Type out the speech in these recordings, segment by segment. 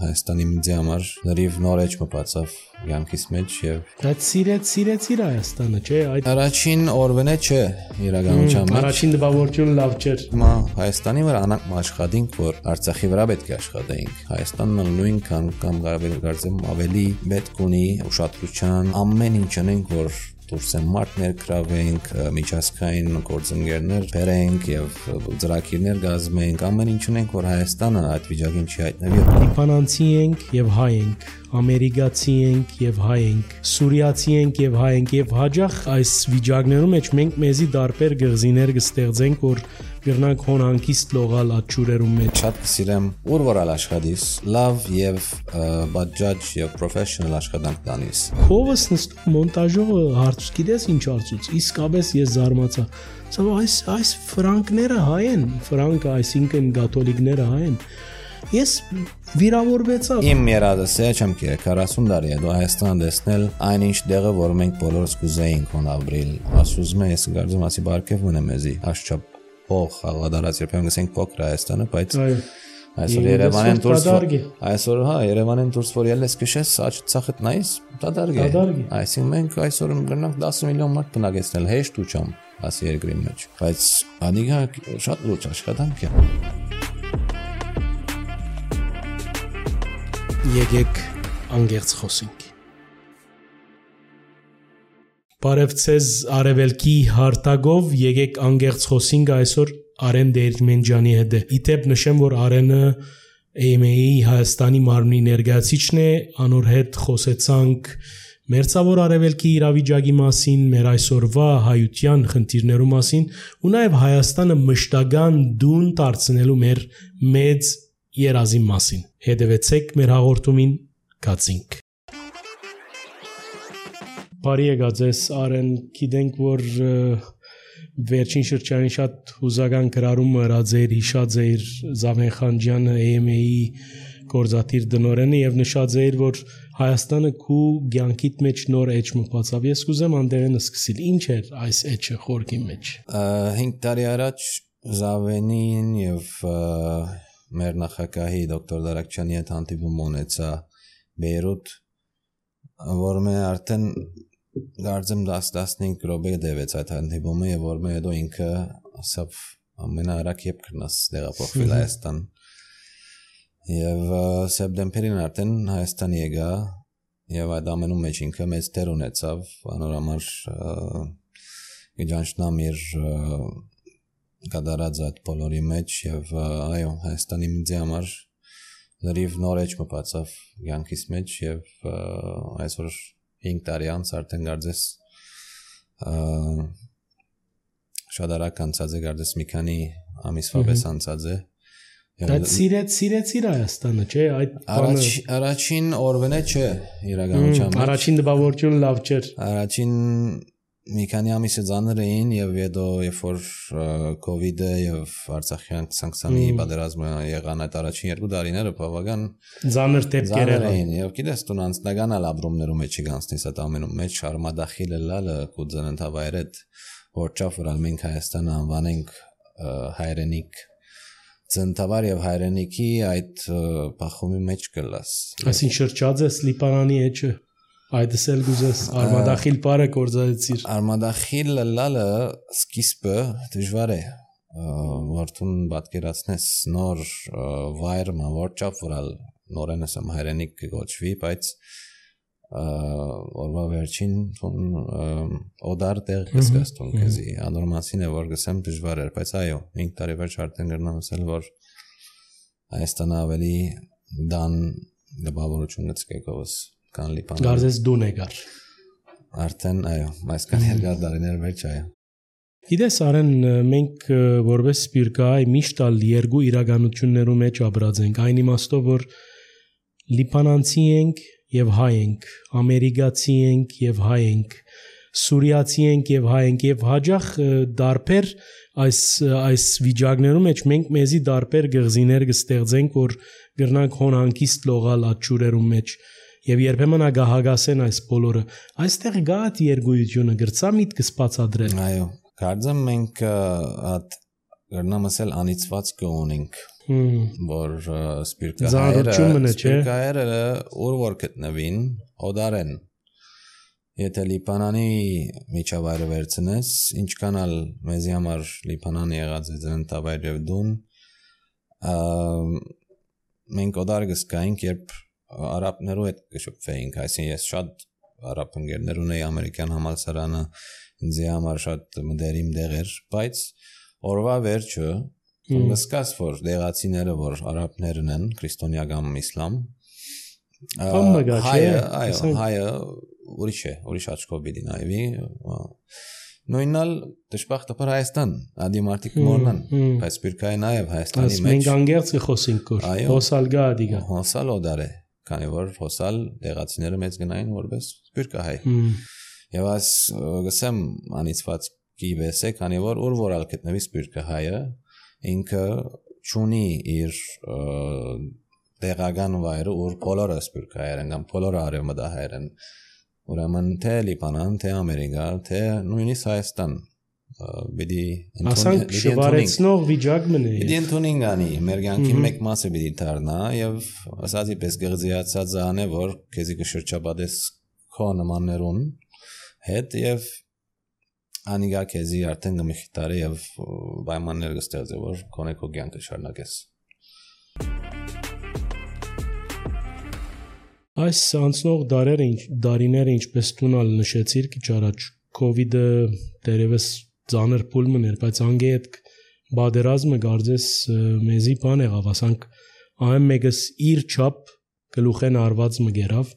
Հայաստանի ինձ համար լրիվ նոր էջ մտածավ յանքիս մեջ եւ Դա սիրեցիր Հայաստանը, չէ՞, այդ առաջին օրվան է չէ իրականության մեջ առաջին դպավորությունը լավ չէր Հիմա Հայաստանի վրա անանք աշխատենք որ Արցախի վրա պետք է աշխատենք Հայաստանն նույնքան կամ կարծեմ ավելի պետք ունի ուշադրության ամեն ինչ անենք որ դուրս են մարդներ գրավենք, միջազգային գործընկերներ բերենք եւ ծրագիրներ գազմենք, ամեն ինչ ունենք, որ Հայաստանը այդ վիճակին չի հայտնվի։ Լիբանանցի ենք եւ հայ ենք, ամերիկացի ենք եւ հայ ենք, սուրիացի ենք եւ հայ ենք եւ հաջող այս վիճակներում մեջ մենք մեզի դարբեր գղզիներ կստեղծենք, որ գրնանք հոնանկիստ լողալ աչուրերում մեջ։ Շատ կսիրեմ ուր որալ աշխատիս, լավ եւ բաջաջ եւ պրոֆեսիոնալ աշխատանք տանիս։ Քովս նստում մոնտաժողը հարց գիտես ինչ հարցուց, իսկապես ես զարմացա։ Սա այս ֆրանկները հայ են, ֆրանկը այսինքն կաթոլիկները հայ են։ Ես վիրավորվեցա։ Իմ երադս է չեմ կերե 40 տարի է դու Հայաստան դեսնել այնինչ դեղը որ մենք բոլորս կուզեինք հոն ապրիլ։ Ասում եմ ես գարձում ասի բարգև ունեմ էզի աշխապ Փող խաղադարած երբեմն գսենք փոքր Հայաստանը, բայց այսօր Երևանեն դուրս այսօր հա Երևանեն դուրս որ ելես քշես ցախտ նայես դադարգ է այսինքն մենք այսօր գնանք 10 միլիոն մարդ բնակեցնել հեշտ ու չամ ասի երկրի մեջ բայց անիգա շատ լուրջ աշխատանք է Եկեք անգերց խոսենք Բարև ձեզ արևելքի հարտագով եկեք անգերց խոսենք այսօր Արեն Դերմենջյանի հետ է։ Իդեպ նշեմ, որ Արենը AMA-ի Հայաստանի մարմնի ներկայացուցիչն է, անոր հետ խոսեցանք մերձավոր արևելքի իրավիճակի մասին, մեր այսօրվա հայության խնդիրներու մասին ու նաև Հայաստանը մշտական դուն դարձնելու մեր մեծ երազի մասին։ Հետևեցեք մեր հաղորդումին, գացինք։ Բարի եկած ես Արեն, գիտենք որ վերջին շրջանին շատ հուզական գրառումը հրած էր, հիշած էր Զավեն Խանջյանը AMA-ի գործադիր դնորենը եւ նշած էր որ Հայաստանը քու ցանկիտ մեջ նոր էջ մտածավ։ Ես կուզեմ անդերենը սկսել։ Ինչ էր այս էջը խորքի մեջ։ 5 տարի առաջ Զավենին եւ մեր նախագահի դոկտոր Դարակչյանի հետ հանդիպում ունեցա Բեյրութ, որ მე արդեն Գարձեմ 10-15 րոպե դեվեց այդ հանդիպումը եւ որ მე հետո ինքը ասավ ամենաարագ երբ կգնաս տեղափոխվել Հայաստան եւ սեպտեմբերին արդեն Հայաստան եկա եւ այդ ամենում մեջ ինքը մեծ դեր ունեցավ անորամար գճանչնամ իր կատարած այդ բոլորի մեջ եւ այո Հայաստանի ինձ համար լրիվ նոր էջ մտածավ յանքիս մեջ եւ այսօր 5 տարի անց արդեն գարձես շատ արագ անցած է գարձես մի քանի ամիսվա պես անցած է Այդ սիրեցիր Հայաստանը, չէ՞, այդ առաջին օրվան է չէ իրականության մեջ առաջին դպավորությունը լավ չէր առաջին մի քանի ամիսը ծանր էին եւ հետո երբ որ կոവിഡ്-ը եւ Արցախյան սանկցիոնի պատերազմը եղան այդ առաջին 2 տարիները բավական ծանր դեպքեր էին եւ գիտես դու անձնական ալաբրումներում մեջ գանցնես այդ ամենում մեջ արմադախիլը լալը կուզեն ընդավայրեդ որ ճաֆրալ մենք Հայաստանը անվանենք հայրենիք ծնտավար եւ հայրենիքի այդ բախումի մեջ կլաս այսին շրջած է Լիբանանի էջը Այդս էլ գուզես արմադախիլ բարը կորզացիր Արմադախիլը լալը սկիզբը դժվար է որտուն պատկերացնես նոր վայր մավորճապ որալ նորենս եմ հայրենիք կգոչվի բայց օրվա վերջին օդար տեղ կսկաստուն քեզի անորմասին է որ գսեմ դժվար էր բայց այո 5 տարի վերջ արդեն գրնամ ասել որ Հայաստանը ավելի դան դպավորություն գցկեկովս Գարձես դուն եկար Արդեն այո այսքան երկար տարիներ վերջ այո Գիտես Արեն մենք որպես սպիրկայ միշտ ալ երկու իրականություններում մեջ ապրած ենք այն իմաստով որ լիբանանցի ենք եւ հայ ենք ամերիկացի ենք եւ հայ ենք սուրիացի ենք եւ հայ ենք եւ հաջող դարբեր այս վիճակներում մեջ մենք մեզի դարբեր գղզիներ կստեղծենք որ գրնանք հոնանկիստ լողալ աչուրերում մեջ Եվ երբեմն ագահագասեն այս բոլորը այստեղ գա այդ երգույթությունը գրծա միտքս բացադրել Այո կարծեմ մենք այդ գրնամ ասել անիծված կունենք որ սպիրկահայերը ուր որ գտնվին օդարեն եթե Լիբանանի միջավայրը վերցնես ինչքան ալ մեզի համար Լիբանանը եղած է դրան տավայր եւ դուն մենք օդար գսկայինք երբ արաբներու հետ կշփվեինք այսինքն ես շատ արաբ ընկերներ ունեի ամերիկյան համալսարանը ինձ համար շատ մտերիմ դեղ էր բայց օրվա վերջը գսկաս որ դեղացիները որ արաբներն են քրիստոնեական իսլամ հայը ուրիշ աչքով բիդի նայվի նույնալ դժբախտաբար Հայաստան ադիմարտիկ մորնան բայց սպիրկայի նաև Հայաստանի մեջ մենք անգերց կխոսենք որ հոսալ գա դիգա հոսալ օդար է քանի որ հոսալ դեղացիները մեծ գնային որպես սպիրկահայ եւ այս գսեմ անիծվածքի վեսե քանի որ որ ալ գտնվի սպիրկահայը ինքը ճունի իր դեղական վայրը որ բոլորը սպիրկահայեր են կամ բոլորը արևմտահայեր են ուրեմն թե Լիբանան թե Ամերիկա թե նույնիսկ Հայաստան բիդի ասանք շվարեցնող վիճակ մնի բիդի ընդունին գանի մեր կյանքի մեկ մասը բիդի դառնա եւ ասածի պես գղձիացած անե որ քեզի կշրջապատես քո նմաններուն հետ եւ անիգա քեզի արդեն գմխիտարի եւ պայմաններ կստեղծի որ քոնե քո կյանքը շարունակես այս անցնող դարիները ինչպես տունալ նշեցիր քիչ առաջ կոവിഡ് դերևս ծանր փուլմն էր բայց անգե այդ բادرազմը գարձես մեզի բան եղավ ասանք այն մեկս իր չափ գլուխեն արված մգերավ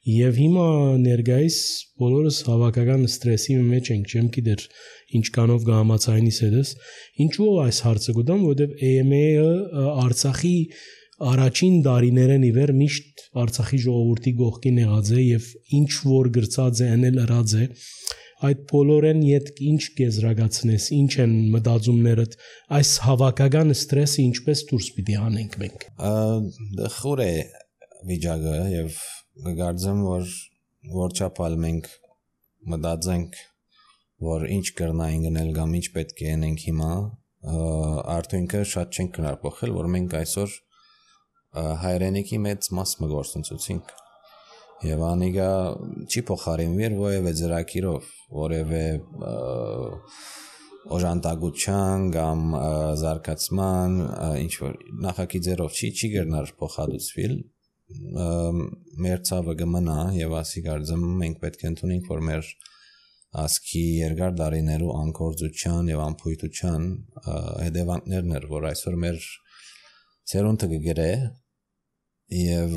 եւ հիմա ներգայիս բոլորս հավաքական ստրեսի մեջ ենք չեմ գիտեր ինչքանով գամացայինիս հետս ինչու այս հարցը գտամ որովհետեւ AMA-ը Արցախի առաջին դարիներն իվեր միշտ Արցախի ժողովրդի գողքին եղած է եւ ինչ որ գրծած է անել ըրած է այդ բոլորեն իդ ինչ գեզրագացնես ինչ են մտածումներդ այս հավաքական ստրեսը ինչպես դուրս պիտի անենք մենք խոր է վիճակը եւ գարձեմ որ չափալ մենք մտածենք որ ինչ կրնային գնել կամ ինչ պետք է անենք հիմա արդյունքը շատ չենք կնար փոխել որ մենք այսօր հայրենիքի մեծ մաս մգործունցուցինք եւ անիգա չի փոխարինվի որևէ ծրագիրով որևէ օժանդակության կամ զարգացման ինչ որ նախագիծերով չի գերնար փոխադուցվել մեր ցավը կմնա եւ ասի գարձեմ մենք պետք է ընդունենք որ մեր ասքի երկար դարիներու անկորձության եւ անփույթության հետևանքներն էր որ այսօր մեր ցերունտը կգրե եւ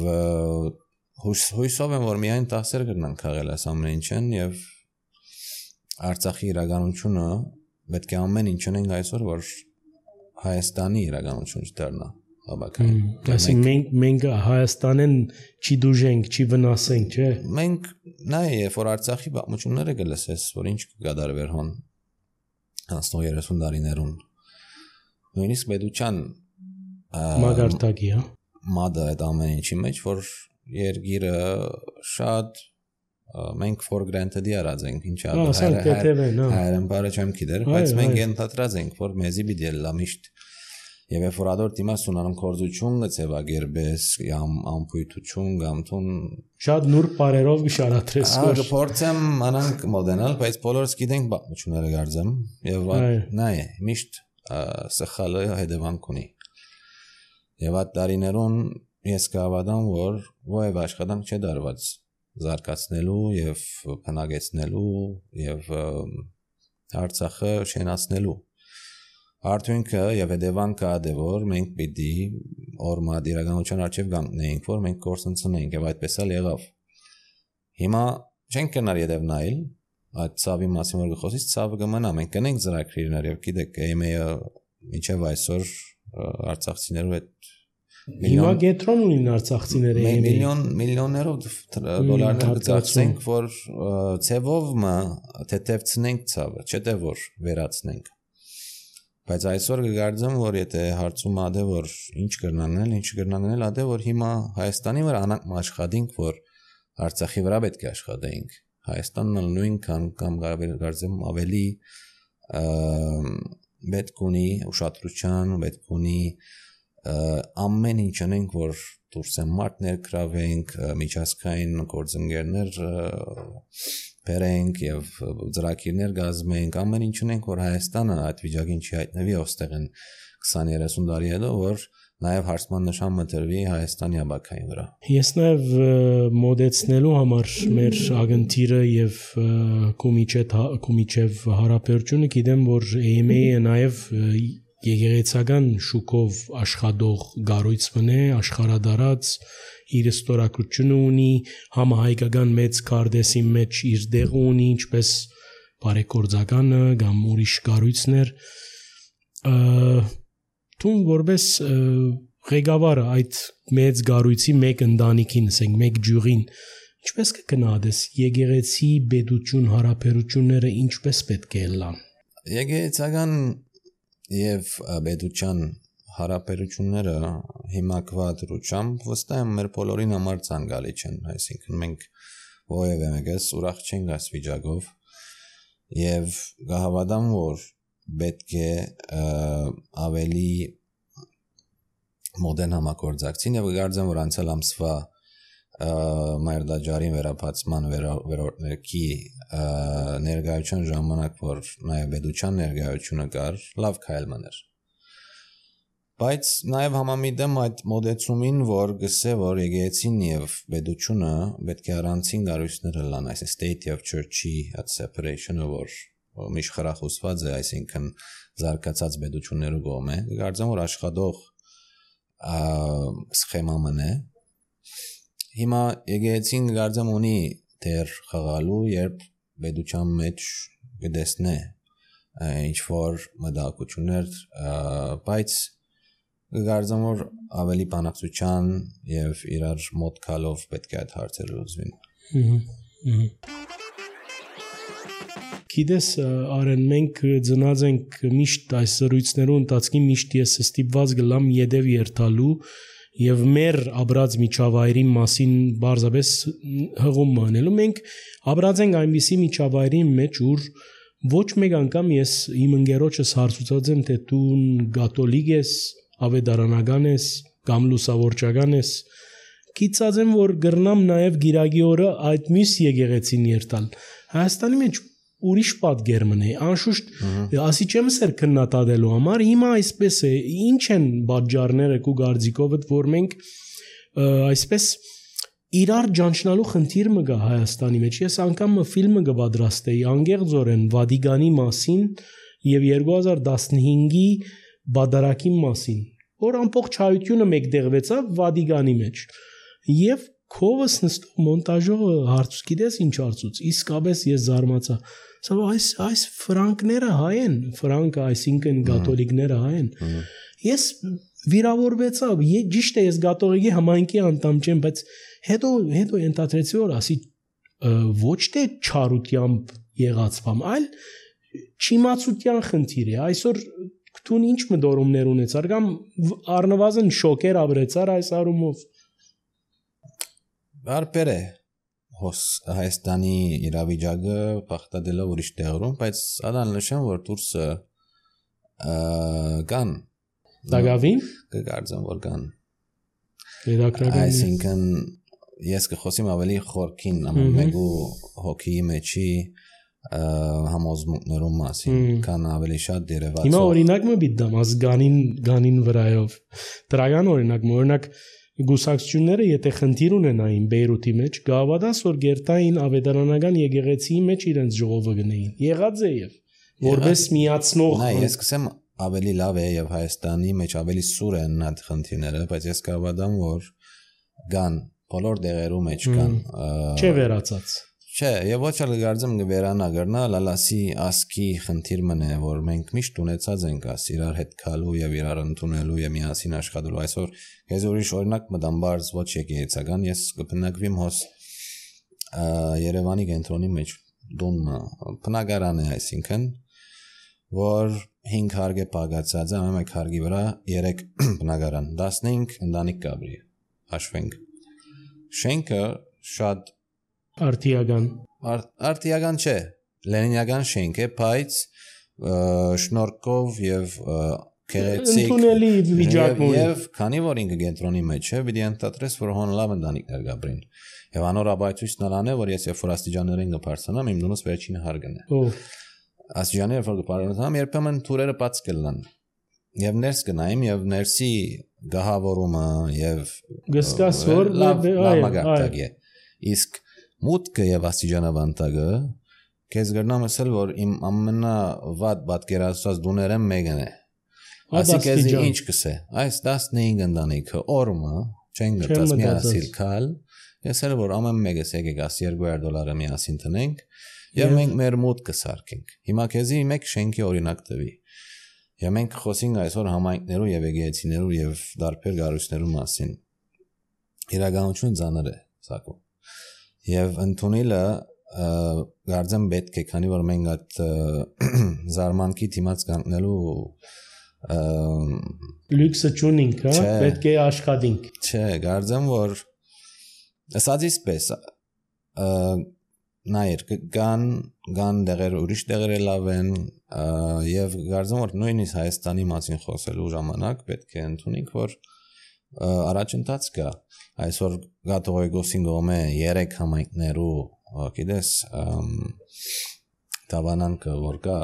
հույսով եմ որ միայն տասեր կգնան քաղել այս ամեն ինչն եւ Արցախի իրականությունը պետք է ամեն ինչ ունենք այսօր որ Հայաստանի իրականություն չդառնա Այսինքն մենք Հայաստանեն չի դուժենք, չի վնասենք, չէ։ Մենք նայ որ Արցախի պատմությունները գլսես, որ ինչ կգադարվեր հոն 30 տարիներուն։ Նույնիսկ պետության մագարտակի, հա։ Մադը այդ ամեն ինչի մեջ, որ երգիրը շատ մենք for granted արած ենք, ինչա հայերեն բարը չեմ գիտեր, բայց մենք ընդհանրած ենք, որ մեզի պիտի լա միշտ Եվ որ ադոր դիմաց ունանում կորձություն գծեվագերբես կամ անփույթություն կամ թուն շատ նուրբ բարերով գշարատրես որ փորձեմ անանք մոդենալ բայց բոլորս գիտենք բացությունները գարձեմ եւ նայ միշտ սխալը հետևանք ունի եւ այդ տարիներուն ես կհավատամ որ ովև աշխատանք չէ դարված զարգացնելու եւ բնակեցնելու եւ Արցախը շենացնելու Արդյունքը եւ հետևանքը ադե որ մենք պիտի օրմա իրականության արժեվ գանքնենք որ մենք կորսնցնենք եւ այդպես էլ եղավ հիմա չենք կնար յետև նայել այդ ցավի մասին որ գխոսից ցավը կմնա մենք կնենք ծրագրերներ եւ գիտեք AMA-ը միջև այսօր արցախցիներու հետ հիմա գետրոն ունին արցախցիները միլիոններով դոլարներ կծախսենք որ ցևով թեթևցնենք ցավը չէ թե որ վերացնենք Բայց այսօր կգարձեմ, որ եթե հարցում ադե որ ինչ կրնանել ադե որ հիմա Հայաստանի վրա անանք աշխատենք, որ Արցախի վրա պետք է աշխատենք։ Հայաստանն նույնքան կամ կգարձեմ ավելի պետք ունի ուշադրության, պետք ունի ամեն ինչ անենք, որ դուրսեն մարդ ներգրավենք, միջազգային գործընկերներ բերենք եւ ծրագիրներ կազմենք, ամեն ինչ անենք, որ Հայաստանը այդ վիճակին չի հայտնվի, ոստեղ են 20-30 տարի հետո, որ նաև հարցման նշան մտրվի Հայաստանի ապակային վրա։ Ես նաև մոդեցնելու համար մեր ագընթիրը եւ կոմիչեվ հարաբերությունը գիտեմ, որ AMA-ը նաև եկեղեցական շուկով աշխատող գառույց մնե, աշխարհադարած իր ստորակրությունը ունի, համահայկական մեծ կարդեսի մեջ իր դեղը ունի, ինչպես բարեգործականը կամ ուրիշ գառույցներ, Տուն որպես ղեկավարը այդ մեծ գառույցի մեկ ընտանիքին, ասենք մեկ ջուրին, ինչպես կգնահատես եկեղեցի պետություն հարաբերությունները ինչպես պետք է լան։ Եկեղեցական եւ պետության հարաբերությունները հիմակված դրությամբ վստահ եմ մեր բոլորին համար ցանկալի չեն, այսինքն մենք ովևէ մեկս ուրախ չենք այս վիճակով եւ կհավատամ, որ պետք է ավելի մոդեռն համագործակցին եւ գարձեմ, որ անցյալ ամսվա Մայրդաջարին վերապացման վերորդների ներկայության ժամանակ, որ նաեւ պետության ներկայությունը կար, լավ քայլներ։ Բայց նաեւ համամիտեմ այդ մոդեցումին, որ գսե, որ եկեղեցին եւ պետությունը պետք է առանցին գառույցներ լան, այս state of church-ի այդ separation-ը, որ միշտ խրախուսված է, այսինքն զարգացած պետություններու կողմէ, գարձեմ, որ աշխատող սխեման է։ Հիմա եկեղեցին գարձեմ ունի դեր խաղալու, երբ պետության մեջ կդեսնե ինչ որ մտահոգություններ, բայց գարձեմ, որ ավելի բանակցության եւ իրար մոտ գալով պետք է այդ հարցերը լուծվին։ Գիտես, արեն մենք ծնած ենք միշտ այս զրույցներու ընթացքին միշտ ես ստիպված գլամ յետև երթալու եւ մեր աբրած միջավայրի մասին բարձրապես հղում մանելու։ Մենք աբրած ենք այնպիսի միջավայրի մեջ, ուր ոչ մեկ անգամ ես իմ ընկերոջս հարցուցած եմ, թե դու կաթոլիկ ես, ավետարանական ես, կամ լուսավորչական ես։ Գիտած եմ, որ գրնամ նաեւ գիրագի օրը այդ մյուս եկեղեցին երթալ։ Հայաստանի մեջ ուրիշ պատգեր մնե, անշուշտ ասի չեմ սեր քննադատելու համար, հիմա այսպես է, ինչ են բաժարները քու գարձիկովդ, որ մենք այսպես իրար ճանչնալու խնդիր մը գա Հայաստանի մեջ։ Ես անգամ ֆիլմը կպատրաստեի անգեղձորեն Վադիգանի մասին եւ 2015-ի բադարակի մասին, որ ամբողջ հայությունը մեկտեղվեցավ Վադիգանի մեջ։ Եվ քովս նստող մոնտաժողը հարցուց, գիտես ինչ հարցուց, իսկապես ես զարմացա։ Սա այս ֆրանկները հայ են, ֆրանկը, այսինքն կաթոլիկները հայ են։ Ես վիրավորվեցա, ճիշտ է, ես կաթողիկի համայնքի անդամ չեմ, բայց հետո ենթադրեցի, որ ասի ոչ թե չարությամբ եղած բան, այլ չիմացության խնդիր է։ Այսօր դու ինչ մտորումներ ունեցար կամ առնվազն շոկեր ապրեցար այս առումով։ Բարբեր է Հայաստանի իրավիճակը բախտադելով ուրիշ տեղերում, բայց ադան նշեմ, որ դուրսը կան Դագավին կգարձեմ, որ կան Երակրական այսինքն ես կխոսեմ ավելի խորքին մեկու հոգիի մեջի համոզմունքներու մասին, կան ավելի շատ դերևացող։ Հիմա օրինակ մը բիդամ ազգանին վրայով դրական օրինակ Գուսակցությունները եթե խնդիր ունենային Բեյրութի մեջ, գավադաս որ գերտային ավետարանական եկեղեցիի մեջ իրենց ժողովը գնային։ Եղած է եւ որպես միացնող։ Նայ, ես կսեմ ավելի լավ է եւ Հայաստանի մեջ ավելի սուր են այդ խնդիրները, բայց ես կավադամ որ կան բոլոր դեղերու մեջ կան։ Չէ վերացած։ Չէ, եւ ոչ էլ գարձեմ գվերանա գրնա լալասի ասկի խնդիր մնե, որ մենք միշտ ունեցած ենք աս իրար հետ գալու եւ իրար ընդունելու եւ միասին աշխատելու։ Այսօր ես ուրիշ օրինակ մտամ բարձ ոչ եկեղեցական, ես կբնակվիմ հոս Երևանի կենտրոնի մեջ դուն բնակարան է, այսինքն որ 5 հարգ է պագացած, ամեն մեկ հարգի վրա 3 բնակարան, 15 ընտանիք կաբրի, հաշվենք։ Շենքը շատ Արտիական չէ, լենինական շենք է, բայց շնորհքով եւ ընդունելի վիճակում եւ քանի որ ինքը կենտրոնի մեջ է պիտի ընդհանրես որ հոն լավ ընտանիքներ գաբրին եւ անորաբայցույց նրան է որ ես երբ որ աստիճաններին կփարցանամ իմ դունս վերջին հարգն է աստիճանները որ կփարցանամ երբեմն թուրերը բաց կլան եւ ներս գնայım եւ ներսի գահավորումը եւ գսկաս որ լավ մագարտակ է իսկ մուտքը եւ աստիճանավանդակը քեզ գրնամ ասել որ իմ ամենավատ պատկերացած դուներեմ մեկն է ասիկեզ ինչ կսե այս 15 ընտանիքը օրը չեն գտած միասին կալ ես էլ որ ամեն մեկս եկեք $200 միասին տնենք եւ մենք մեր մուտքը սարքենք հիմա քեզի մեկ շենքի օրինակ տվի եւ մենք խոսենք այսօր համայնքներու եւ եկեղեցիներու եւ դարբեր գարույցներու մասին իրականություն ծանր է սակո եւ ընդունելը գարձեմ պետք է քանի որ մենք այդ զարմանքի դիմաց կանգնելու լյուքսը չունենք հա պետք է աշխատենք չէ գարձեմ որ ասածից պես նայր կան դեղեր ուրիշ դեղեր լավ են եւ գարձեմ որ նույնիսկ Հայաստանի մասին խոսելու ժամանակ պետք է ընդունենք որ առաջընթաց կա այսօր Գաթողիկոսին գոմե 3 համայնքներու գիտես տավանանքը որ կա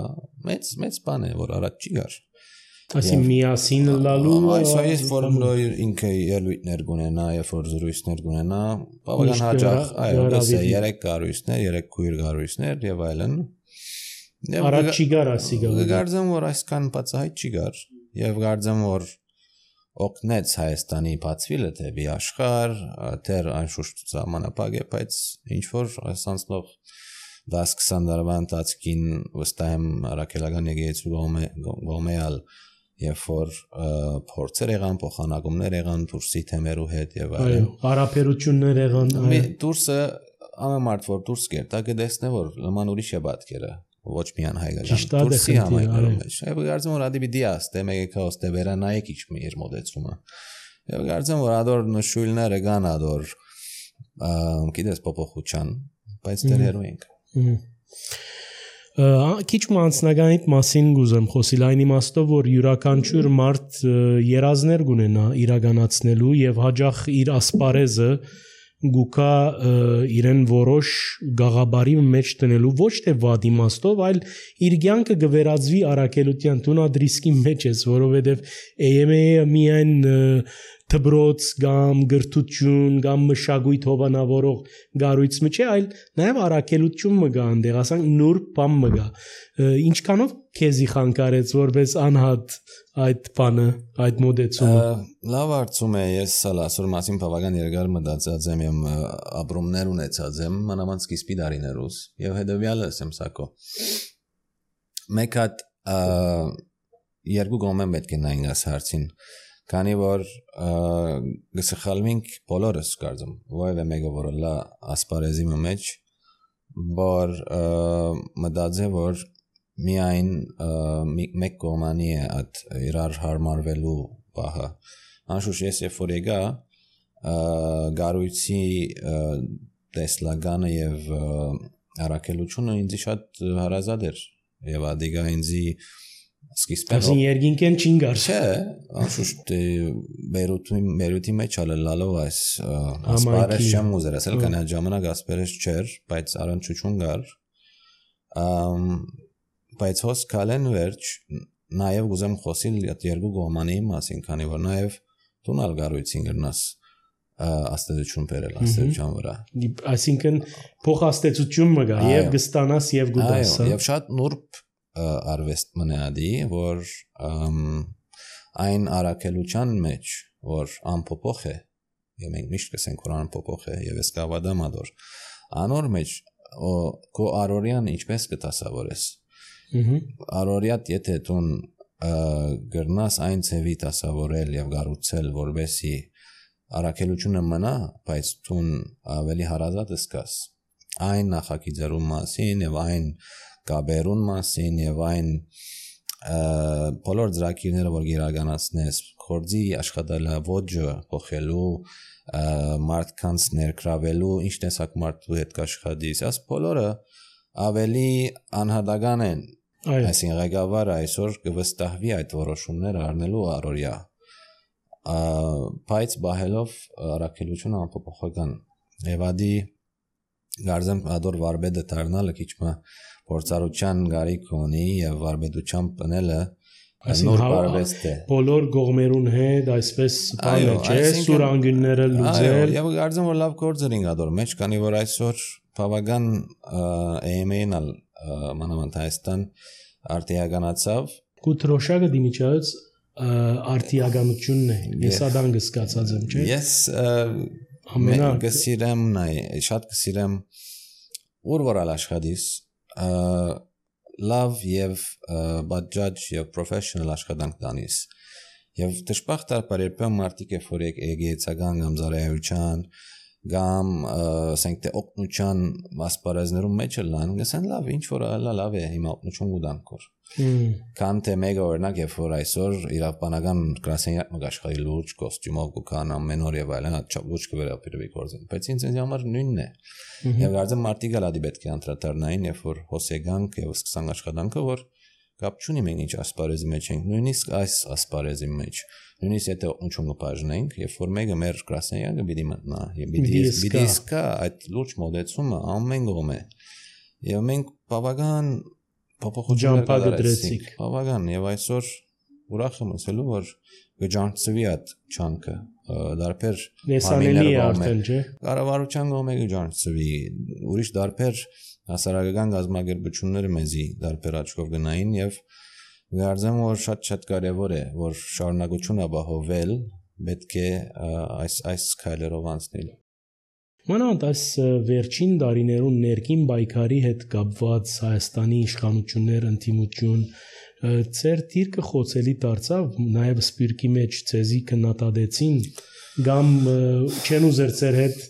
մեծ բան է որ առաջ չի գար ասի միասին լալու այսօր որ ինքը ելույթներ գունենա եւ որ զրույցներ գունենա բավական հաճախ այո դասը 3 գարույցներ 3 քույր գարույցներ եւ այլն առաջ չի գար ասի գարձեմ որ այսքան բացահայտ չի գար եւ գարձեմ որ օգնեց Հայաստանի բացվելը դեպի աշխարհ դեռ անշուշտ ժամանակ է բայց ինչ որ ասանցնող 10-20 տարվա ընթացքին վստահ եմ ռակելական եկեղեցու գոմեալ եւ որ փորձեր եղան փոխանակումներ եղան դուրսի թեմերու հետ եւ այլն հարաբերություններ եղան դուրսը ամենամարդ որ դուրս կերտա կդեսնե որ նման ուրիշ է պատկերը ոչ միայն հայկական դուրսի համայնքներում մեջ եւ գարձեմ որ ադի պիտի աստե մեկը ոստե վերանայեք ինչ մի իր մոդեցումը եւ գարձեմ որ ադոր նշույլները կան ադոր գիտես փոփոխության բայց դեռ հերու ենք քիչ մանցնագանի մասին գուզեմ խոսիլ այն իմաստով որ յուրաքանչյուր մարդ երազներ գունենա իրականացնելու եւ հաջող իր ասպարեզը գուկա իրեն որոշ գաղաբարի մեջ տնելու ոչ թե վատ իմաստով այլ իր կյանքը գվերածվի արակելության տունադրիսկի մեջ ես որովհետեւ EMA-ը միայն թբրոց կամ գրթություն կամ մշակույթ հովանավորող գարույց մը չէ այլ նաև արակելություն մը գա այնտեղ ասենք նուրբ բան մը գա ինչքանով քեզի խանգարեց որպես անհատ այդ բանը այդ մոդեցումը լավ արծում է ես ասոր մասին բավական երկար մտածած եմ եմ ապրումներ ունեցած եմ մանավանդ սկիզբի դարիներուս եւ հետեւյալը եմ սակո մեկ հատ երկու գոմեն պետք է նայենք աս հարցին քանի որ գսխալվենք բոլորս կարծում որևէ մեկը որ լա ասպարեզի մեջ որ մտածե որ միայն մեկ կողմանի է այդ իրար հարմարվելու բահը անշուշտ ես երբ որ եկա գարույցի տեսլականը եւ առաքելությունը ինձ շատ հարազատ էր եւ ադիգա ինձի սկիզբեն երկինքեն չինգար չէ անշուշտ մերութի մեջ ալելով այս ասպարեզ չեմ ուզեր ասել կանա ժամանակ ասպարեզ չէր բայց առանցություն գար բայց հոս կալեն վերջ նաև ուզեմ խոսիլ երկու գոմանի մասին քանի որ նաև տունալ գարույցին գրնաս աստեցություն բերել աստեցության վրա այսինքն փոխաստեցություն մը գա եւ գստանաս եւ գուտաս այո եւ շատ նուրբ արվեստ մնադի որ այն արակելության մեջ որ անփոփոխ է եւ մենք միշտ կսենք որ անփոփոխ է եւ էսկավադամ ադոր անոր մեջ քո արորյան ինչպես կտասավորես արորյատ եթե տուն գրնաս այն ցևի տասավորել եւ գառուցել որբեսի արակելությունը մնա բայց տուն ավելի հարազատ սկաս այն նախագիծերու մասին եւ այն կաբերուն մասին եւ այն բոլոր ծրագիրները որ իրականացնես կորձի աշխատելավոճը փոխելու մարդկանց ներգրավելու ինչ տեսակ մարդու հետ կաշխատես այս բոլորը ավելի անհատական են Այսինքն ղեկավարը այսօր կվստահվի այդ որոշումները առնելու առօրյա բայց բահելով առաքելությունը անփոփոխական եւ ադի գարձեմ ադոր վարբեդը դառնալը քիչ մը փորձառության գարիք ունի եւ վարբեդությամբ բնելը նոր բարվեստ է բոլոր գողմերուն հետ այսպես բանը չէ սուր անգյունները լուծել եւ գարձեմ որ լավ գործերին ադոր մեջ քանի որ այսօր բավական AMA-ն մանավանդ Հայաստան արտիականացավ կուտրոշակը դիմիջած արտիականությունն է ես ադան գսկացած եմ չէ ես ամենակ գսիրեմ նայ շատ գսիրեմ ուրվորալ աշխատիս լավ եւ բաջաջ եւ պրոֆեսիոնալ աշխատանք տանիս եւ դժբախտաբար երբեմն մարդիկ որ եկեցական կամ զարայության կամ ասենք թե օգնության ասպարեզներում մեջ լան գսեն լավ ինչ որ լավ է հիմա օգնություն ուտանքոր քան թե մեգա օրինակ երբ որ այսօր իրավաբանական գրասենյակ մգաշխարի լուրջ կոստյումով կան ամեն օր եւ այլն հատ լուրջ կվերապրվի գործին բայց ինձ համար նույնն է եւ գարձեմ մարդիկ ալադի պետք է անդրադառնային երբ որ հոսեգանք եւ սկսան աշխատանքը որ կապ չունի մենք ինչ ասպարեզի մեջ ենք նույնիսկ այս ասպարեզի մեջ նույնիսկ եթե օգնություն կբաժնենք երբ որ մեկը մեր գրասենյակը պիտի մտնա եւ պիտի սկա այդ լուրջ մոդեցումը ամեն կողմ է եւ մենք բավական փոփոխություններ կդրեցինք բավական եւ այսօր ուրախ եմ ասելու որ գջանցվի այդ չանկը դարբեր նեսանելի է արդեն չէ կառավարության կողմը գջանցվի ուրիշ դարբեր հասարակական գազམ་ագերբությունները մեզի դարբեր աչքով գնային եւ գարձեմ որ շատ կարեւոր է որ շարունակություն ապահովել պետք է այս քայլերով անցնել Մանավանդ այս վերջին տարիներուն ներքին պայքարի հետ կապված Հայաստանի իշխանություններ ընդդիմություն ծեր դիրքը խոցելի դարձավ նաև սպիրկի մեջ ցեզի քննադատեցին կամ չեն ուզեր ծեր հետ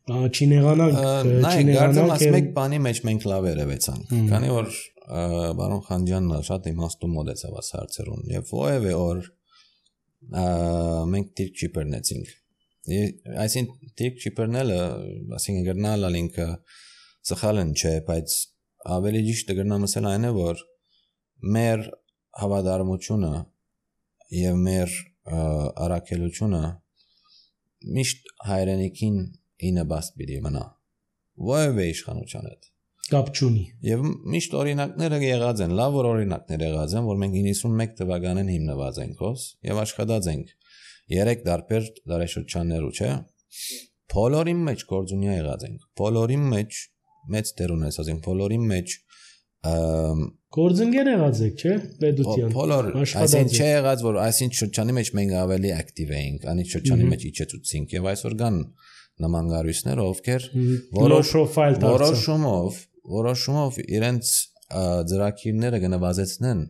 չինեղանանք մեկ բանի մեջ մենք լավ երևեցանք քանի որ բարոն Խանջյանն շատ իմաստու մոդեցավ այս հարցերուն եւ ովևէ օր մենք դիրք չիպերնեցինք այսինքն դիրք չիպերնելը ասենք գտնալ ալինքը սխալն չէ բայց ավելի ճիշտ է գտնամ ասել այն է որ մեր հավատարմությունը եւ մեր առաքելությունը միշտ հայրենիքին ինը բաց պիտի մնա ովևէ իշխանության հետ կապ չունի եւ միշտ օրինակները եղած են լավ որ օրինակներ եղած են որ մենք 91 թվականին հիմնված ենք հոս եւ աշխատած ենք 3 դարբեր դարաշրջաններու չէ բոլորի մեջ գործունյա եղած ենք բոլորի մեջ մեծ դեր ունեցած ենք բոլորի մեջ գործընկեր եղած եք չէ պետության բոլոր այսինքն չէ եղած որ այսինքն շրջանի մեջ մենք ավելի ակտիվ էինք անի շրջանի մեջ իջեցուցինք եւ այսօր կան նման գարույցներ ովքեր որոշումով իրենց ծրագիրները կնվազեցնեն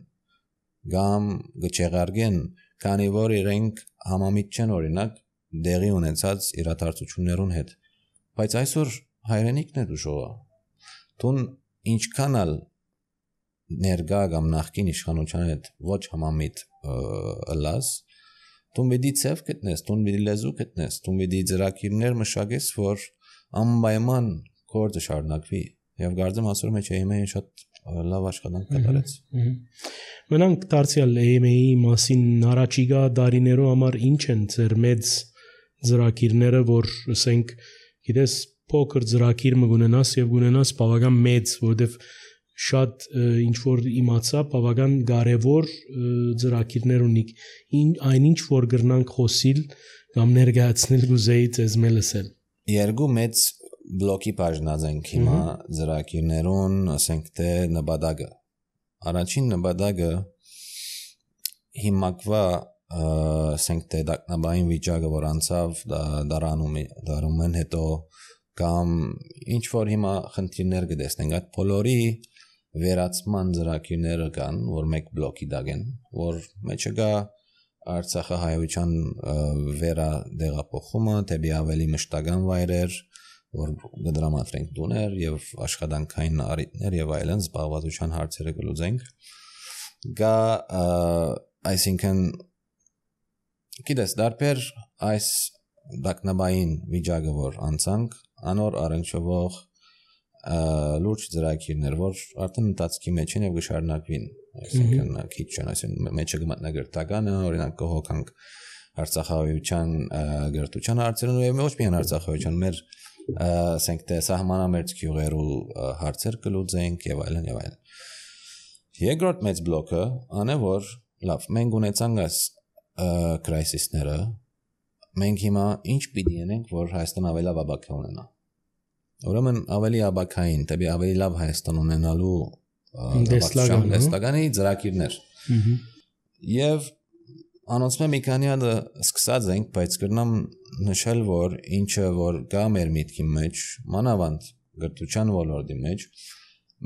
կամ կչեղարկեն քանի որ իրենք համամիտ չեն օրինակ դեղի ունեցած իրադարձություններուն հետ բայց այսօր հայրենիքն է դժողա տուն ինչքանալ ներգա կամ նախկին իշխանության հետ ոչ համամիտ ըլլաս տուն վիդի ցև գտնես տուն վիդի լեզու գտնես տուն վիդի ծրագիրներ մշակես որ անպայման գործը շարունակվի եւ գարձեմ ասում եմ չէ իմեյը շատ լավ աշխատանք կատարեց մենանք դարձյալ AMA-ի մասին առաջիկա դարիներու համար ինչ են ձեր մեծ ծրագիրները որ ասենք գիտես փոքր ծրագիր մգունենաս եւ գունենաս բավական մեծ որովհետեւ շատ ինչ որ իմացա բավական կարևոր ծրագիրներ ունի այնինչ որ գրնանք խոսիլ կամ ներկայացնել գուզեի ձեզ մելսել երկու մեծ բլոկի բաժնած ենք հիմա ծրագիրներուն ասենք թե նպատակը առաջին նպատակը հիմակվա ասենք թե դակնաբային վիճակը որ անցավ դարումեն հետո կամ ինչ որ հիմա խնդիրներ կտեսնենք այդ բոլորի վերացման ծրագիրները կան որ մեկ բլոկի դագեն որ մեջը գա Արցախի հայության վերադեղափոխումը դեպի ավելի մշտական վայրեր որ կդրամատրենք տուներ եւ աշխատանքային առիթներ եւ այլն զբաղվածության հարցերը կլուծենք գա այսինքն գիտես դարբեր այս դակնաբային վիճակը որ անցանք անոր առնչվող լուրջ ծրագիրներ, որ արդեն ընթացքի մեջ են եւ կշարունակվին, այսինքն քիչ չեն, այսինքն մեջը կմտնա գրթականը, օրինակ կհոգանք Արցախահայության գրթության հարցերն եւ ոչ միայն Արցախահայության, մեր ասենք թե սահմանամերձ գյուղերու հարցեր կլուծենք եւ այլն եւ այլն։ Երկրորդ մեծ բլոկը անե որ լավ, մենք ունեցանք այս crisis-ները, մենք հիմա ինչ պիտի անենք, որ Հայաստան ավելի լավ ապակա ունենա։ Ուրեմն ավելի ապակային, դեպի ավելի լավ Հայաստան ունենալու դեստագանի ծրագիրներ։ Եվ անոնցմե մի քանի հատ սկսած ենք, բայց կրնամ նշել, որ ինչը որ գա մեր միտքի մեջ, մանավանդ գրթության ոլորտի մեջ,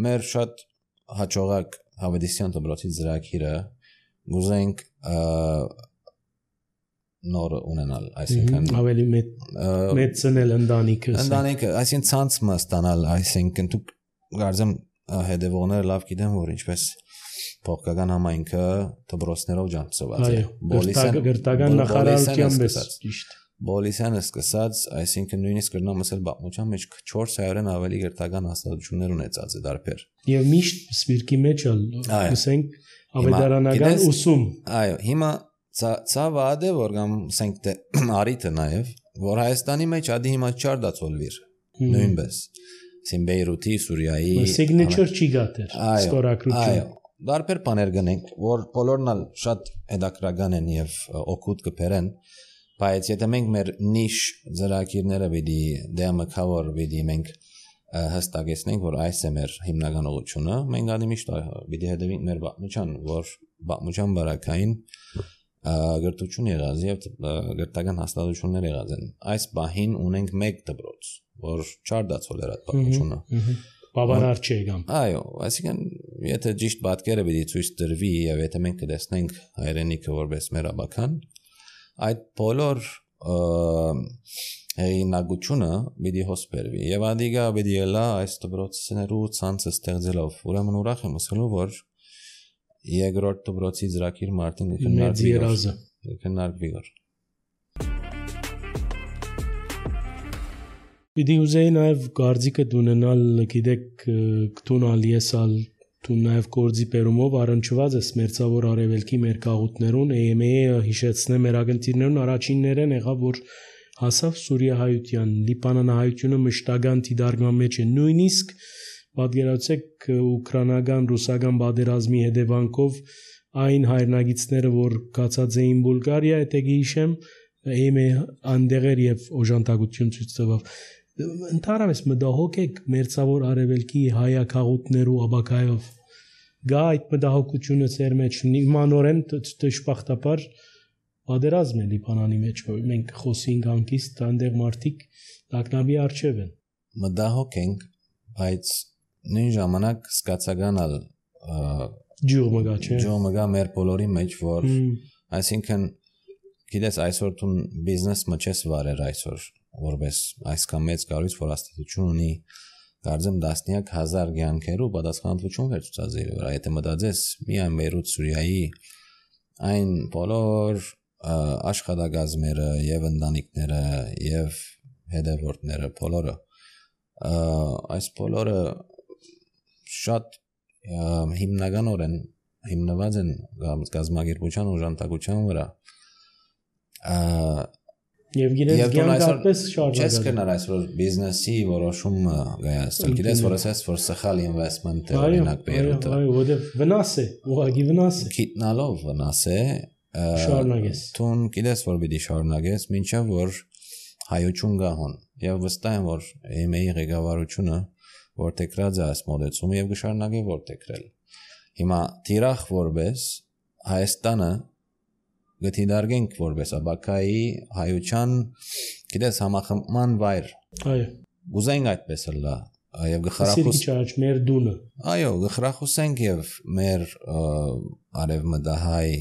մեր շատ հաջողակ Հավետիսյան դպրոցի ծրագիրը գուզենք նոր ունենալ, այսինքն ավելի մեծնել ընտանիքը, այսինքն ցանցը ստանալ, այսինքն դու գարձեմ հետևողները լավ գիտեն, որ ինչպես փոխական համայնքը դպրոցներով ջանցված է։ Գրթական նախարարության պես ճիշտ։ Բոլիսյանը սկսած, այսինքն նույնիսկ կրնամ ասել բաղմության մեջ 400-ն ավելի գրթական հաստատություններ ունեցած է դարբեր։ Եվ միշտ սպիրկի մեջ ասենք ավետարանական ուսում։ Այո, հիմա ցավը ադե որ կամ ասենք թե արիթը նաև, որ Հայաստանի մեջ ադի հիմա չարդացոլվիր։ Նույնպես։ Սին Բեյրութի, Սուրիայի signature չի գտեր, ստորագրություն։ Այո, դարբեր բաներ գնենք, որ բոլորն էլ շատ հետաքրական են եւ օգուտ կբերեն, բայց եթե մենք մեր նիշ ծրագիրները պիտի դեմակավոր պիտի մենք հստակեցնենք, որ այս է մեր հիմնական ուղղությունը, մենք ադի միշտ պիտի հետևենք մեր բաղմության, որ բաղմության բարակային գրթություն եղած եւ գրթական հաստատություններ եղած են։ Այս բահին ունենք մեկ դպրոց, որ չարդացել էր այդ բաղմությունը։ Բավարար չէ կամ։ Այո, այսինքն եթե ճիշտ պատկերը պիտի ցույց տրվի եւ եթե մենք կտեսնենք հայրենիքը որպես մեր աբական, այդ բոլոր հեղինակությունը պիտի հոսպերվի եւ ադիգա պիտի ելա այս դպրոցներու ցանցը ստեղծելով։ Ուրեմն ուրախ եմ ասելու, որ երկրորդ դպրոցի ծրագիր մարտին քննարկվի։ Պիտի ուզեի նաև գարձիկը դունենալ, գիտեք, կտուն ալիեսալ, դու նաև գործի պերումով առնչված ես մերձավոր արևելքի մեր կաղուտներուն, EMA-ը հիշեցնե մեր ագնտիրներուն առաջիններեն եղավ, որ հասավ Սուրիահայության, Լիբանանահայությունը մշտական դիդարգման մեջ է, նույնիսկ պատկերացեք ուկրաինական, ռուսական պատերազմի հետևանքով այն հայրենագիցները, որ գացած էին Բուլղարիա, եթե գիշեմ, EMA անդեղեր եւ օժանդակություն ցույց տվավ։ Ընդհանրապես մտահոգ եք մերձավոր արևելքի հայակաղուտներու աբակայով գա այդ մտահոգությունը ծեր մեջ նմանորեն դժբախտաբար պատերազմ է Լիբանանի մեջ որ մենք խոսենք անկիստ այնտեղ մարդիկ տակնավի արժև են մտահոգ ենք բայց նույն ժամանակ սկացականալ ջուրմգա մեր բոլորի մեջ որ այսինքն գիտես այսօր դու բիզնես մոչես վարեր այսօր որպես այսքան մեծ կառույց որ հաստատություն ունի դարձեմ դասնյակ հազար կյանքերու պատասխանատվություն վերցուցած իր վրա եթե մտածես միայն Բեյրութ Սուրիայի այն բոլոր աշխատակազմերը եւ ընտանիքները եւ հետևորդները բոլորը այս բոլորը շատ հիմնականորեն հիմնված են գազագերբության օժանդակության վրա Եվ գիտես գյանքապես շարժակալ։ Չես կնար այսօր բիզնեսի որոշումը գայացել։ Գիտես որ ասես որ սխալ ինվեստմենտ է օրինակ Բեյրութը։ Այո, որտեվ վնաս է, ուղղակի վնաս է։ Գիտնալով վնաս է։ Շարունակես։ Տուն գիտես որ պիտի շարունակես, մինչև որ հայություն գահոն։ Եվ վստահ եմ որ EMA-ի ղեկավարությունը որտեղած է այս մոդեցումը եւ կշարունակի որտեղրել։ Հիմա թիրախ որպես Հայաստանը գտիդարգենք որպես աբակայի հայության գիտես համախմբման վայր այո ուզենք այդպես լա եւ գխրախուս մեր դունը այո գխրախուսենք եւ մեր արևմտահայ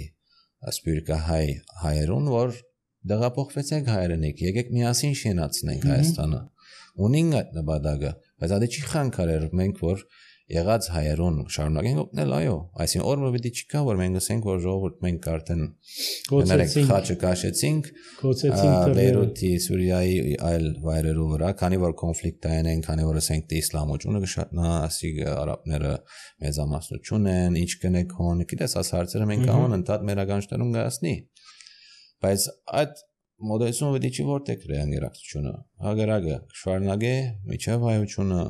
ասպիրկահայ հայերուն որ դեղափոխվեցեք հայրենիք եկեք միասին շենացնենք Հայաստանը ունենք այդ նպատակը բայց ադի չի խանգարեր մենք որ եղած հայերուն շարունակենք օգնել, այո, այսինքն օրը պիտի չկա, որ մենք ասենք, որ ժողովուրդ մենք արդեն խաչը կաշեցինք, Բեյրութի, Սուրիայի այլ վայրերու վրա, քանի որ կոնֆլիկտային են, քանի որ ասենք թե իսլամությունը կշատնա, ասի արաբները մեծամասնություն են, ինչ կնեք հոն, գիտես, աս հարցերը մենք կանոն ընդհանուր մեր ականջներում գասնի, բայց այդ մոդելությունը պիտի չի որտեղ ռեանգերակցությունը, հագարագը շարունակե, միջև հայությունը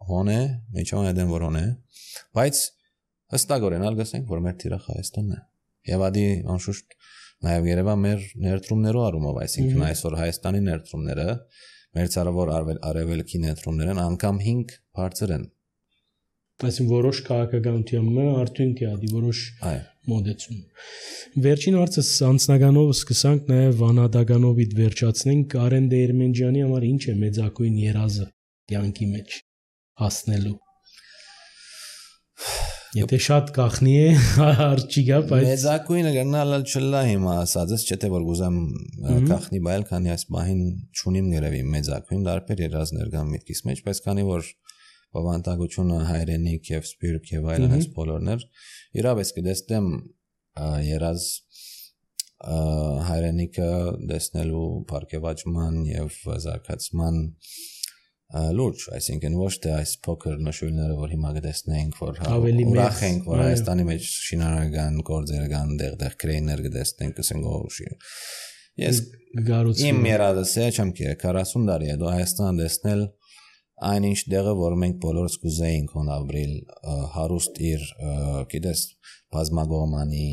հոն է, միջև այդեն որ հոն է, բայց հստակորեն ալգասենք, որ մեր թիրախ Հայաստանն է, և ադի անշուշտ նաև Երևան մեր ներդրումներով արումով, այսինքն այսօր Հայաստանի ներդրումները, մեր ցարավոր արևելքի ներդրումներն անգամ 5 բարձր են։ Այսինքն որոշ քաղաքականության արդյունք է ադի որոշ մոդեցում։ Վերջին հարցս անձնականով սկսանք նաև անհատականովիդ վերջացնենք Արեն Դերմենջյանի համար ինչ է մեծակույն երազը կյանքի մեջ հասնելու։ Եթե շատ կախնի է, հարց չի գա, բայց մեծակույնը գնալ չլա հիմա ասածս, չէ թե որ գուզեմ կախնի բայել, քանի այս բահին չունիմ գերևի մեծակույն դարբեր երազներ կան միտքիս մեջ, բայց քանի որ բավանդակությունը հայրենիք եւ սպիրտ եւ այլն այս բոլորներ, իրավես կդեսնեմ երազ հայրենիքը դեսնելու բարգեւաճման եւ զարգացման լուրջ, այսինքն ոչ թե այս փոքր նշույլները, որ հիմա կտեսնենք, որ ուրախ ենք, որ Հայաստանի մեջ շինարարական գործեր կան, դեղ կրեյներ կտեսնենք, ասենք ես իմ երազս է, չեմ կերե 40 տարի հետո Հայաստան տեսնել այնինչ դեղը, որ մենք բոլորս կուզեինք հոն ապրիլ հարուստ իր, գիտես, բազմագոմանի,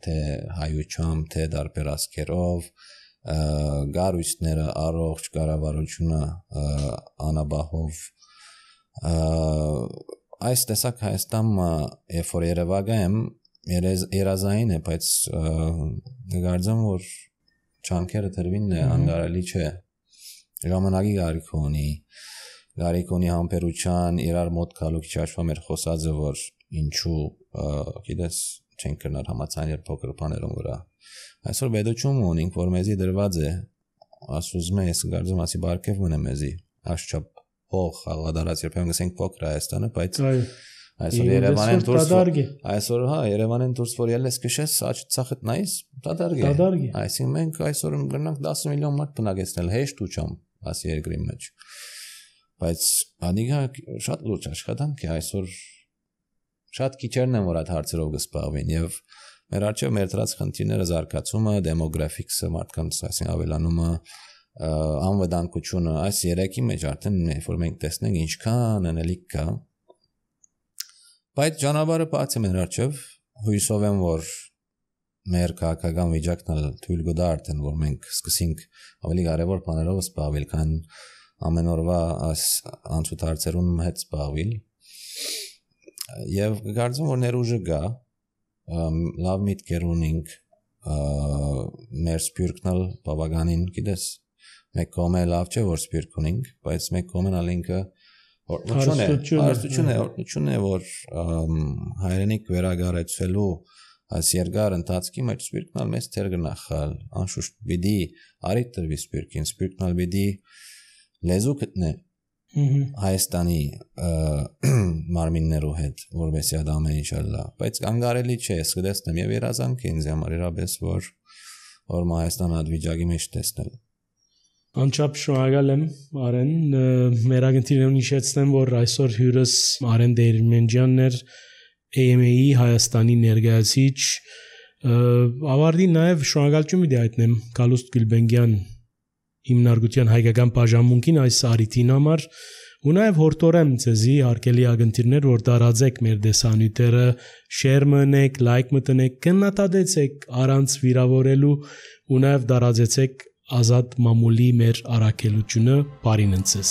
թե հայությամբ, թե դարբեր ասքերով, գարույցները, առողջ կառավարությունը անաբահով, այս տեսակ Հայաստանը, երբ որ երևակա եմ, երազային է, բայց գարձեմ, որ չանքերը տրվինն է, անգարելի չէ, ժամանակի գարիք ունի համբերության, իրար մոտ կալու քիչ աշխվա մեր խոսածը, որ ինչու, գիտես, չենք կրնար համացաներ փոքր բաներում վրա։ Այսօր բեդոչում ունենք, որ մեզի դրված է, ասուզմ է, ես գարձում ասի բարգև մնե մեզի, աշխապ հող աղադարած, երբեմն գսենք փոքր Հայաստանը, բայց այսօր Երևանեն դուրս որ ելես քշես, ծախդ նայես, դադարգ է։ Այսինքն մենք այսօր գնանք 10 միլիոն մարդ բնակեցնել հեշտ ու չամ, ասի երկրի մեջ։ Բայց ադիգա շատ լուրջ աշխատանք է, այսօր շատ քիչերն են որ այդ հարցերով կսպաղվին եւ մեր արժե մեր դրած խնդիրները զարգացումը, դեմոգրաֆիկսը, մարդկանց այսին ավելանումը, անվտանգությունը, այս երեքի մեջ արդեն որ մենք տեսնենք ինչքան անելիք կա։ Բայց ճանապարհը բաց է մեր արժեվ, հույսով եմ որ մեր քաղաքական վիճակն թույլ կտա արդեն որ մենք սկսենք ավելի կարևոր բաներով զբաղվել, քան ամեն օրվա անցուտ հարցերում հետ զբաղվել։ Եվ կարծում որ ներուժը գա, լավ միտքեր ունենք, մեր սպիրկն բավականին, գիտես, մեկ կողմը լավ չէ որ սպիրկ ունենք, բայց մեկ կողմն ալինքը Հարստություն է, որ հայրենիք վերագարեցելու այս երկար ընթացքի մեջ սպիրկնալ մեծ թեր գնախալ, անշուշտ բիդի արիտ տրվի սպիրկին, սպիրկնալ բիդի լեզու գտնե Հայաստանի մարմիններու հետ, որովհետեւ դա ամեն ինչ ալա, բայց անգարելի չէ, սկսեմ եւ երազանք ինձ համար իրապես որ Հայաստանը advijagi մեջ տեսնել։ Անչափ շնորհակալ եմ Արեն, մեր ագնտիրներուն հիշեցնեմ, որ այսօր հյուրս Արեն Դերմենջյանն էր AMA-ի Հայաստանի ներկայացիչ, ավարտին նաև շնորհակալություն մի դայտնեմ Գալուստ Գուլբենգյան հիմնարկության հայկական բաժանմունքին այս արիթին համար ու նաև հորդորեմ ձեզի հարգելի ագնտիրներ, որ դարաձեք մեր դեսանյութերը, շեյր մտնեք, լայք մտնեք, գնահատեցեք առանց վիրավորելու ու նաև դարաձեցեք Ազատ մամուլի մեր առաքելությունը բարին ընցես